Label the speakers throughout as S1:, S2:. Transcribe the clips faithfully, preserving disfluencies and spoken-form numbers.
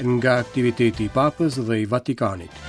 S1: Nga aktiviteti i Papës dhe i Vatikanit.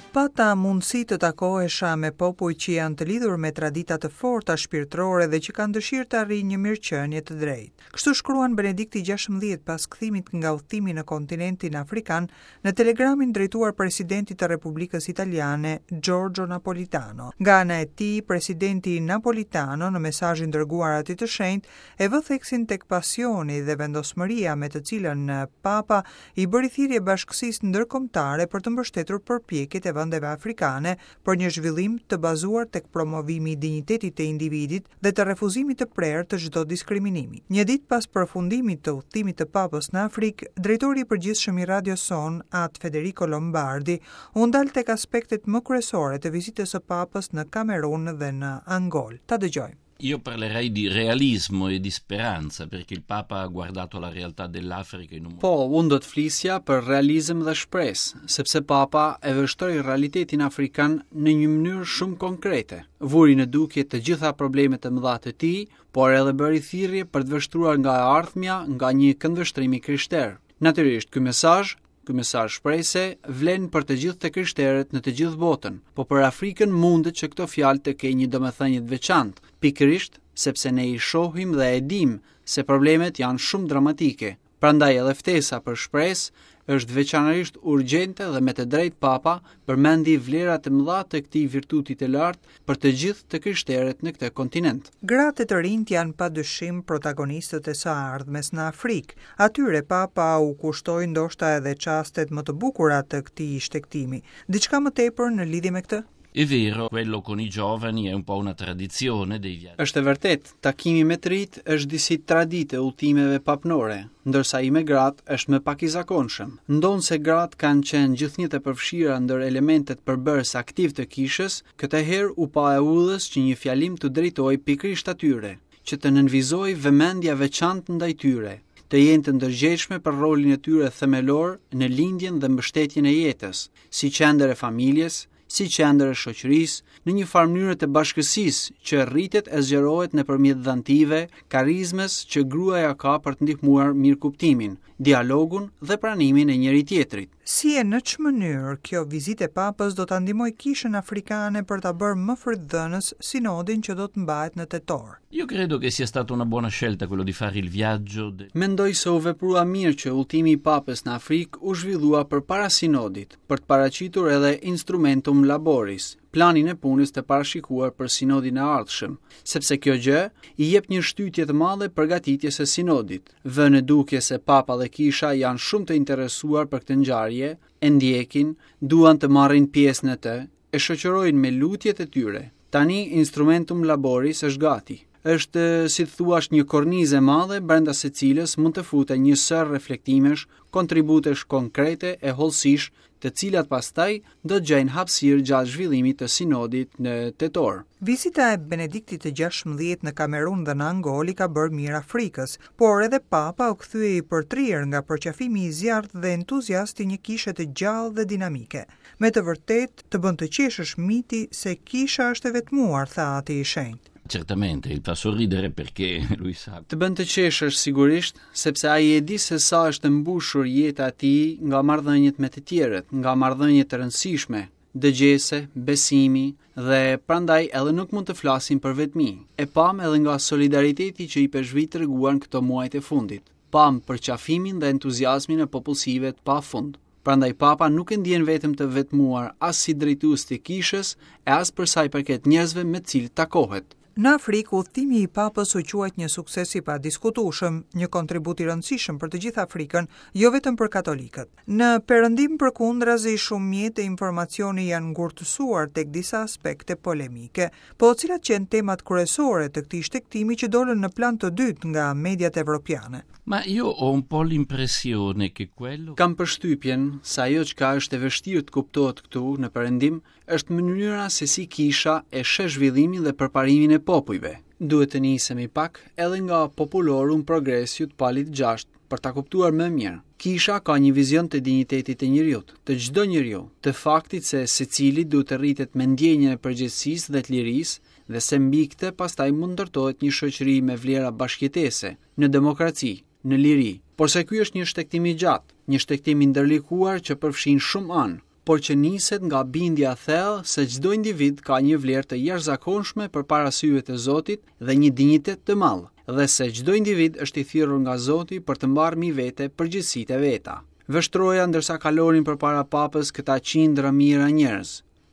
S2: Pata mundësi të takohesha me popuj që janë të lidhur me tradita të forta shpirtërore dhe që kanë dëshirë të arrijnë një mirëqenie të drejtë. Kështu shkruan Benedikti gjashtëmbëdhjetë pas kthimit nga udhëtimi në kontinentin afrikan në telegramin drejtuar presidentit të Republikës Italiane, Giorgio Napolitano. Nga ana e tij, presidenti Napolitano në mesazhin dërguar atij të shenjtë e vë theksin tek pasioni dhe vendosmëria me të cilën Papa i bëri thirrje bashkësisë ndërkombëtare për të mbështetur përpjekjet e vendeve afrikane për një zhvillim të bazuar tek promovimi i dinjitetit të individit dhe të refuzimit të prerë të çdo diskriminimi. Një ditë pas përfundimit të udhëtimit të Papës në Afrikë, drejtori i përgjithshëm i radios sonë, At Federico Lombardi, u ndal tek aspektet më kryesore të vizitës së Papës në Kamerun dhe në Angol. Ta dëgjojmë.
S3: Io parlerei di realismo e di speranza, perché il Papa ha guardato la realtà dell'Africa in un modo.
S4: Po, unë do të flisja për realizëm dhe shpresë, sepse Papa e vështroi realitetin afrikan në një mënyrë shumë konkrete. Vuri në dukje të gjitha problemet e mëdha të tij, por edhe bëri thirrje për të vështruar nga e ardhmja nga një këndvështrim i krishterë. Natyrisht, ky mesazh Ky mesazh shprese vlen për të gjithë të krishterët në të gjithë botën, po për Afrikën mundet që këto fjalë të kenë një domethënie të veçantë, pikërisht sepse ne i shohim dhe e dim se problemet janë shumë dramatike. Prandaj edhe ftesa për shpresë është veçanërisht urgjente dhe me të drejtë Papa përmendi vlerat e mëdha të këtij virtuti të lartë për të gjithë të krishterët në këtë kontinent.
S2: Gratë e të rinjt janë padyshim protagonistët e së ardhmes në Afrikë. Atyre Papa u kushtoi ndoshta edhe çastet më të bukura të këtij shtegtimi. Diçka më tepër në lidhje me këtë?
S3: È vero, quello con i giovani è un po' una tradizione dei viaggi.
S4: Është e vërtet, takimi me të rinjt është disi traditë e udhëtimeve papnore, ndërsa i me gratë është më pak i zakonshëm. Ndonëse gratë kanë qenë gjithnjë të përfshira ndër elementet përbërës aktiv të kishës, këtë herë u pa e udhës që një fjalim të drejtohej pikërisht atyre, që të nënvizojë vëmendja veçantë ndaj tyre, të jenë të ndërgjegjshme për rolin e tyre themelor në lindjen dhe mbështetjen e jetës, si qendër e familjes, si qendër e shoqërisë, në një farë mënyrë të bashkësisë që rritet e zgjerohet nëpërmjet dhantive, karizmës që gruaja ka për të ndihmuar mirëkuptimin, dialogun dhe pranimin e njëri tjetrit.
S2: Si e në ç'mënyrë kjo vizitë e Papës do ta ndihmojë kishën afrikane për ta bërë më frytdhënës sinodin që do të mbahet në tetor?
S3: Io credo che sia stata una buona scelta quello di fare il viaggio de...
S4: Mendoj se u veprua mirë që udhëtimi i Papës në Afrikë u zhvillua përpara sinodit, për të paraqitur edhe instrumentum laboris, planin e punës të parashikuar për sinodin e ardhshëm, sepse kjo gjë i jep një shtytje të madhe përgatitjes së sinodit. Vë në dukje se Papa dhe Kisha janë shumë të interesuar për këtë ngjarje, e ndjekin, duan të marrin pjesë në të, e shoqërojnë me lutjet e tyre. Tani instrumentum laboris është gati. Është, si të thuash, një kornizë e madhe brenda së cilës mund të futen një sërë reflektimesh, kontributesh konkrete e hollësish, të cilat pastaj do të gjejnë hapësirë gjatë zhvillimit të sinodit në tetor.
S2: Vizita e Benediktit të gjashtëmbëdhjetë në Kamerun dhe në Angol i ka bërë mirë Afrikës, por edhe Papa u kthye i përtrirë nga përqafimi i zjarrtë dhe entuziast i një kishe të gjallë dhe dinamike. Me të vërtetë, të bën të qeshësh miti se kisha është e vetmuar, tha ati i shenjtë.
S3: Certamente, il fa sorridere perché lui sa.
S4: Të bën të qeshësh sigurisht, sepse ai e di se sa është e mbushur jeta e tij nga marrëdhëniet me të tjerët, nga marrëdhënie të rëndësishme, dëgjese, besimi dhe prandaj edhe nuk mund të flasim për vetmi. E pam edhe nga solidariteti që i peshvit treguan këto muajt e fundit. Pam përqafimin dhe entuziazmin e popullsive të pafund. Prandaj Papa nuk e ndjen vetëm të vetmuar as si drejtues të kishës e as për sa i përket njerëzve me të cilët takohet.
S2: Në Afrikë, udhëtimi i Papës u quajt një sukses i padiskutueshëm, një kontribut i rëndësishëm për të gjithë Afrikën, jo vetëm për katolikët. Në Perëndim përkundrazi, shumë mjete informacioni janë ngurtësuar tek disa aspekte polemike. Po cilat qenë temat kryesore të këtij shtegtimi që dolën në plan të dytë nga mediat evropiane?
S3: Ma io ho un po' l'impressione che quello
S4: Kam përshtypjen se ajo çka është e vështirë të kuptohet këtu në Perëndim është mënyra se si kisha e sheh zhvillimin dhe përparimin e popujve. Duhet të nisemi pak edhe nga Populorum Progressio të Palit gjashtë për ta kuptuar më mirë. Kisha ka një vizion të dinjitetit të njeriut, të çdo njeriu, të faktit se secili duhet të rritet me ndjenjën e përgjegjësisë dhe të lirisë dhe se mbi këtë pastaj mund ndërtohet një shoqëri me vlera bashkëjetese, në demokraci, në liri. Porse ky është një shtegtim i gjatë, një shtegtim i ndërlikuar që përfshin shumë anë, por që niset nga bindja e thellë se çdo individ ka një vlerë të jashtëzakonshme përpara syve të Zotit dhe një dinjitet të madh, dhe se çdo individ është i thirrur nga Zoti për të marrë mbi vete përgjegjësitë e veta. Vështroja ndërsa kalonin përpara papës këta qindra mijëra njerëz.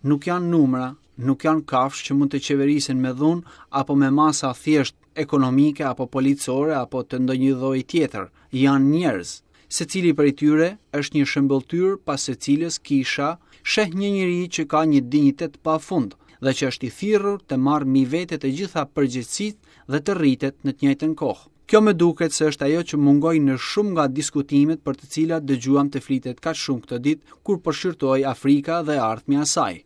S4: Nuk janë numra, nuk janë kafshë që mund të qeverisen me dhunë apo me masa thjesht ekonomike apo policore apo të ndonjë lloji tjetër. Janë njerëz. Secili prej tyre është një shëmbëlltyrë pas së cilës kisha sheh një njeri që ka një dinjitet pafund dhe që është i thirrur të marrë mbi vete të gjitha përgjegjësitë dhe të rritet në të njëjtën kohë. Kjo më duket se është ajo që mungoi në shumë nga diskutimet për të cilat dëgjuam të flitet kaq shumë këtë ditë kur po shqyrtohej Afrika dhe e ardhmja e saj.